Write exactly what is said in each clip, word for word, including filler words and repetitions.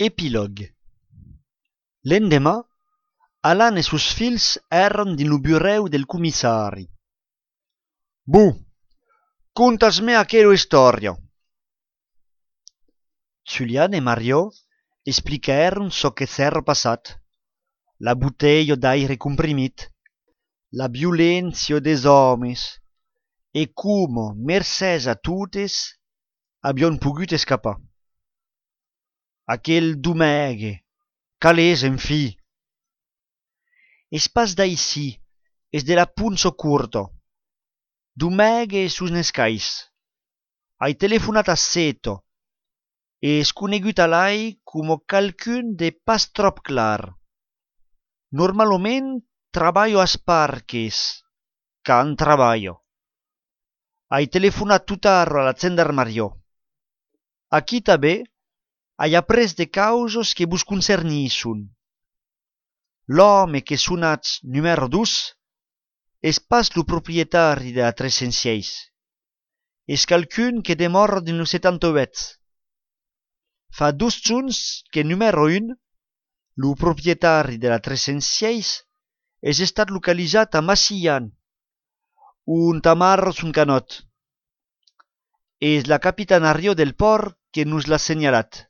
Epilog. L'endemà, Alan e sus fils èran din lo burèu del comissari. «Bu, contas-me aquera istòria». Julian e Mario expliquèron çò que s'èra passat, la botelha d'aire comprimit, la violència des òmes e como, mercès a totes, avion pogut escapar. Aquel domègue, calés, en fi. Es pas d'aisí, es de la punso curto. Domègue sus n'escais. Ai telefonat a Seto, e es conegut a l'ai como calcun de pas trop clar. Normalment traballo as parques, can traballo. Ai telefonat tutarro a la gendarmeria. Aquí també ai après de causos que vos concernisson. L'home que sonatz numèro dos es pas lo proprietari de la tres cents sis. Es calcun que demòra din lo setanta-vuit. Fa dos jorns que numèro un, lo proprietari de la tres cents sis, es estat localizat a Massian, un tamarro son canot. Es la capitanario del port que nos l'ha senyalat.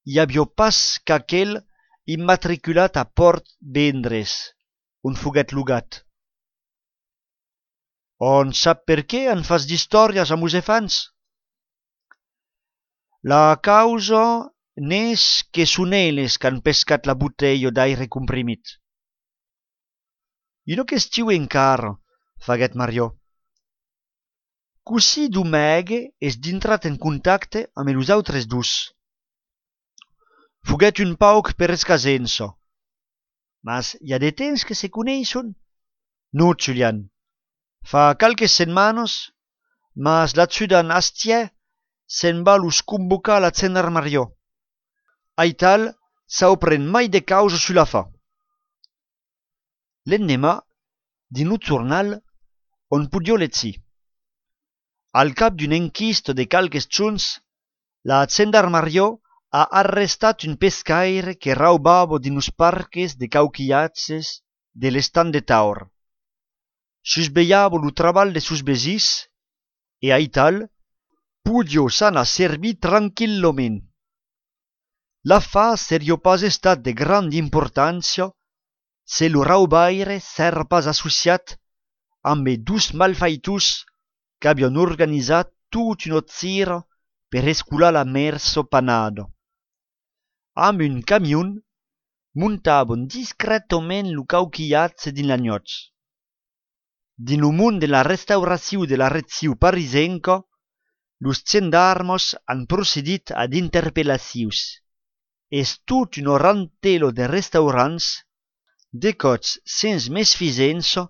Hi avió pas qu'aquel immatriculat a Port Vendres, on foguet logat. On sap per què en fas d'històries a mos efans? La causa n'és que son elles qu'han pescat la botella d'aire comprimit. Una qüestiu encara, faguet Mario. Così domègue es d'intrat en contacte amb els autres dos. Foguet un pauc per escasença. Mas hi ha de temps que se coneixen? No, Julian. Fa calques setmanes, mas la ciutat Astier se'n va los convocar a la gendarmeria. Aital s'aupren mai de causa sulla fa. L'endemà, din lo jornal, on podia lezir. Al cap d'un enquist de calques jorns, la gendarmeria ha arrestat un pescaire que raubava din los parques de cauquillatges de l'estat de Taur. Susbeiava lo treball de sus besís e aital podia s'anar servir tranquillament. L'affar seria pas estat de grande importància se lo raubaire s'era pas associat amb els dos malfaitors que havien organitzat tot una tira per escular la merso panada. Amb un camion muntaven discretament lo cauquillatge din l'agnot. Din lo món de la restauració de la regió parisenca, los gendarmes han procedit ad interpellacions. Es tot un rantelo de restaurants, decots sens mesficença,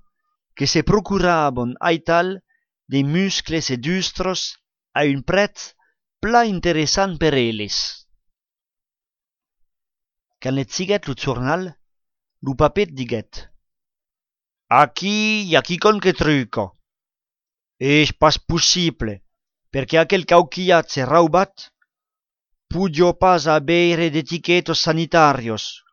que se procuraven aital de muscles e dustros a un prètz pla interessant per elles. Quand leziguet lo jornal, lo papet diguet: «Aquí hi ha quicon que truca. És pas possible, perquè aquel cauquillatge raubat podia pas haver d'etiquetos sanitarios.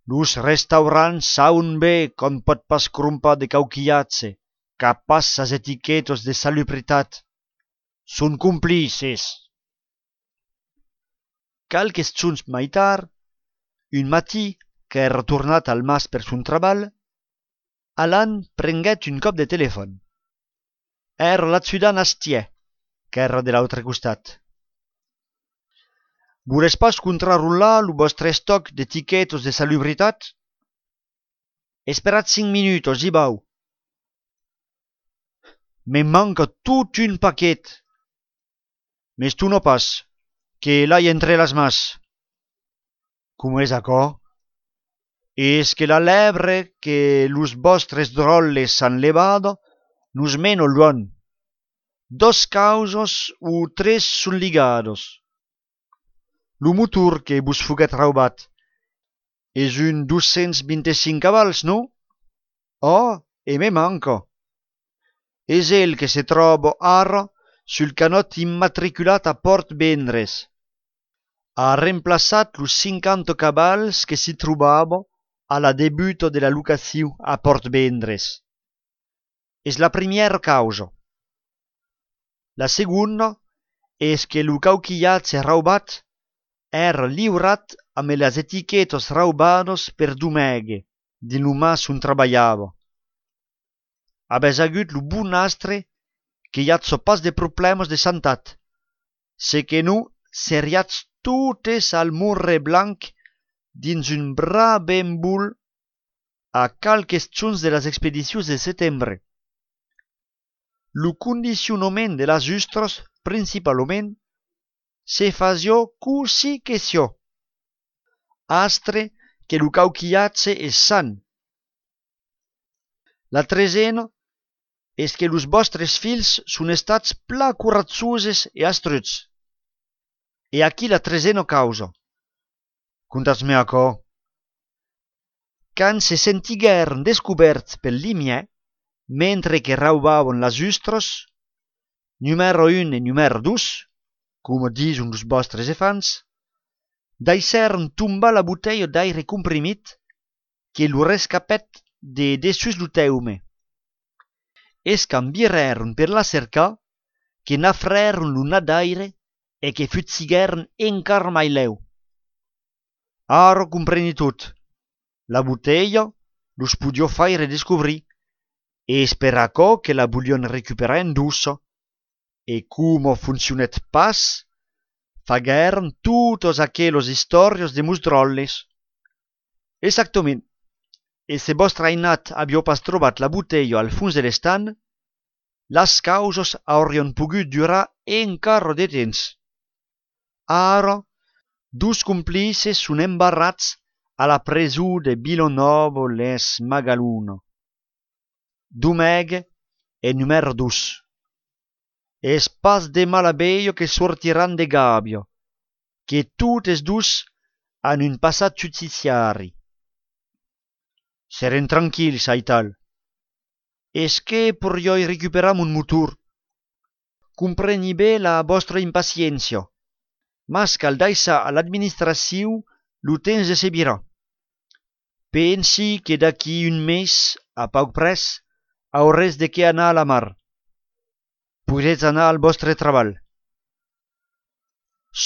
Los restaurants saben bé qu'on pot pas crompar de cauquillatge capas as etiquetos de salubritat. Són complices». Calques jorns mai tard, un matí que era tornat al mas per son treball, Alan prenguet un cop de telèfon. Era la ciutat Astier, que era de l'altre costat. «Voles pas contrarolar lo vostre estoc d'etiquetos de salubritat?» «Esperat cinc minutos, i bau». «Me manca tot un paquet». «Mes tu no pas, que l'hai entre las mas». «Com és acò?» «És que la lebre que los vostres drolles s'han levada nos meno luon. Dos causos o tres son ligados. Lo motor que vos foguet raubat és un dos-cents vint-i-cinc cavals, no? Ah, e me manca. És el que se troba ara sul canot immatriculat a Port Vendres. ha remplaçat los cinquanta cabals que si trobava a la debuto de la locació a Port Vendres. És la primièra causa. La segunda és que lo cauquillatge raubat era liurat amb les etiquetes raubades per Domègue, de l'humàs on treballava. Habés agut lo bon astre que hi ha pas de problemes de santat, se que no seriats totes al morre blanc dins un bras ben bull a calques chons de les expedicions de setembre. Lo condicionament de las ustres, principalment, se fasió così que sio. Astre que lo cauquillatge és sant. La tresena és que los vostres fills són estats pla corazzoses e astruts. E aquí la tresena causa. Contatz-me aquò. Quand se sentigueren descoberts pel limier, mentre que raubaven las ustres, numero un e numero dos, com dison los vostres efants, daissèren tombar la botella d'aire comprimit que lo rescapèt de dessus lo teume. Es cambierèren per la cercar, que n'afrèren lo nat d'aire e que futziguèren encara mai lèu. Ara compreni tot. La botella los podio faire descobrir e per aquò que la volion recuperar en dussa e como funcionet pas, faguèren totes aqueles historias de musdrolles. Exactament. E se vostre ainat avió pas trobat la botella al fons de l'estan, las causes aurion pogut durar encara de temps. Ara, dos complices són embarrats a la presó de Villanova-les-Magalunes. Domègue e numero dos. Es pas de malabello que sortiran de gàbia, que totes dos han un passat justiciari. Seren tranquils, aital. Es que porioi recuperar mon motor. Compreni bé la vostra impaciència, mas cal daissar a l'administració lo temps de se virar. Pensi que d'aquí un mes, a pauc pres, aurès de què anar a la mar. Podetz anar al vostre treball.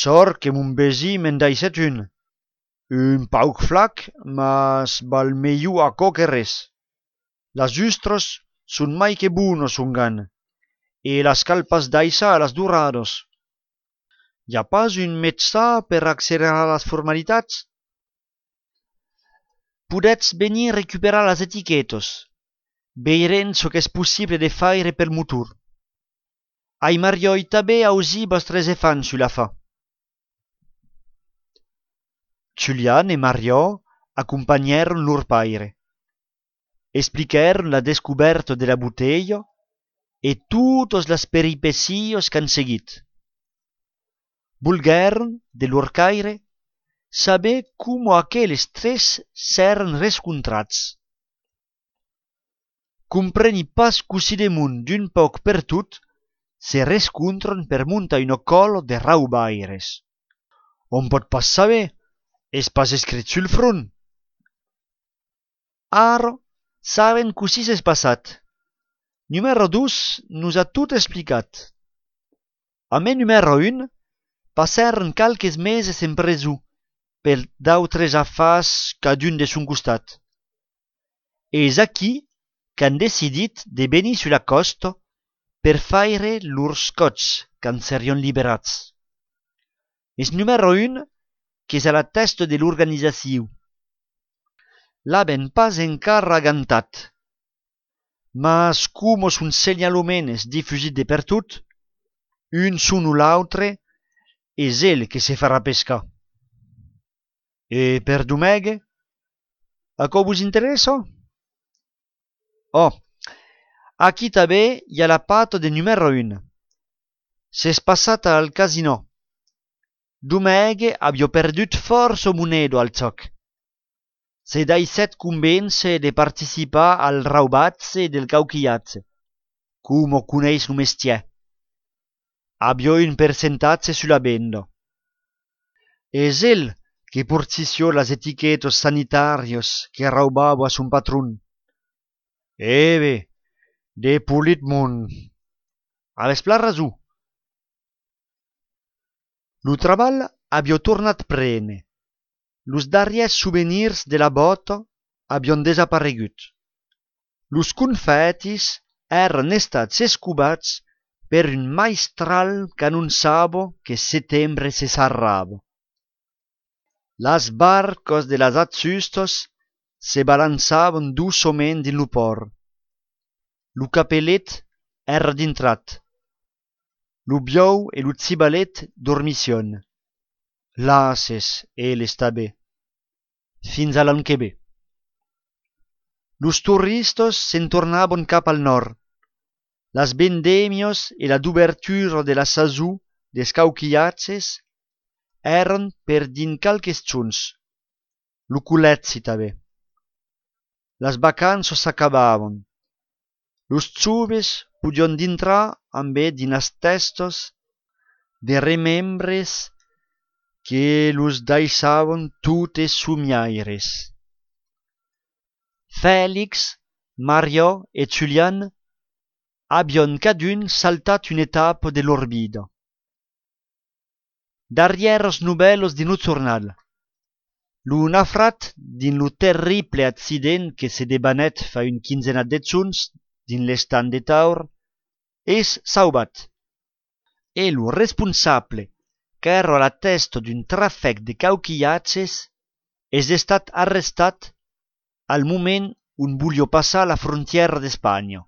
Sort que mon besi me'n daisset un. Un pauc flac, mas val melhor aquò que res. Las ustres són mai que bones son gan, e las cal pas daissar a las durades. Hi ha pas un metjà per accelerar las formalitats? Podetz venir recuperar las etiquetes. Veirem çò qu'és possible de faire pel motor. Ai marioi tanben ausir vostres efants sul la fa. Julian e Mario accompagnèron lor paire. Expliquèron la descoberta de la botella e totes las peripecias qu'han seguit. Volguèron, de lor caire, saber como aqueles tres s'èren rescontrats. Compreni pas così damunt d'un pauc per tot se rescontren per montar una cola de raubaires. On pot pas saber, és pas escrit sul front. Ara saben così s'és passat. Numero dos nos ha tot explicat. A me numero un passèren calques meses en presó per d'autres afars cadun de son costat. E és aquí qu'han decidit de venir sur la costa per faire lors cots quand serion liberats. És numero un que és a la testa de l'organizació. L'aben pas encara agantat. Mas como son segnaloments difusit de per tot, un son o l'autre és el que se farà pescar. E per Domègue? Aquò vos interessa? Oh, aquí tanben hi ha la pata de numero un. S'és passat al casino. Domègue aviò perdut força monedo al joc. Se daissèt convèncer de participar al raubatge del cauquillatge, como coneis lo mestier. Aviò un percentatge sulla venda. Es él que portició las etiquetos sanitarios que raubaba a su patrón. Eve, de Politmon. Aves pla razó. Lo treball avió tornat prene. Los darriers souvenirs de la bota avion desaparegut. Los confetis eren estats escubats per un maestral qu'annunçava que setembre se sarrava. Las barcos de las atzustos se balançaven doçament din lo port. Lo capellet era dintrat. Lo biou e lo cibalet dormission. Lases, el està bé. Fins a l'an que ve. Los turistos se'n tornaven cap al nord. Las vendemios e la d'obertura de la sazó des cauquillatges eren per din calques chons. Lo culetzi també. Las vacanzas s'acabaven. Los joves podion dintrar amb e dinas testos de remembres que los deixaven totes somiaires. Félix, Mario e Julian avion cadun saltat una etapa de lor vida. Darrière os novellos din lo jornal. Lo nafrat din lo terrible accident que se debanet fa un quinzena de chons din l'estan de Taur es sauvat. E lo responsable qu'era a la testa d'un trafèc de cauquillatges es estat arrestat al moment on volia passar la frontiera d'Espanya.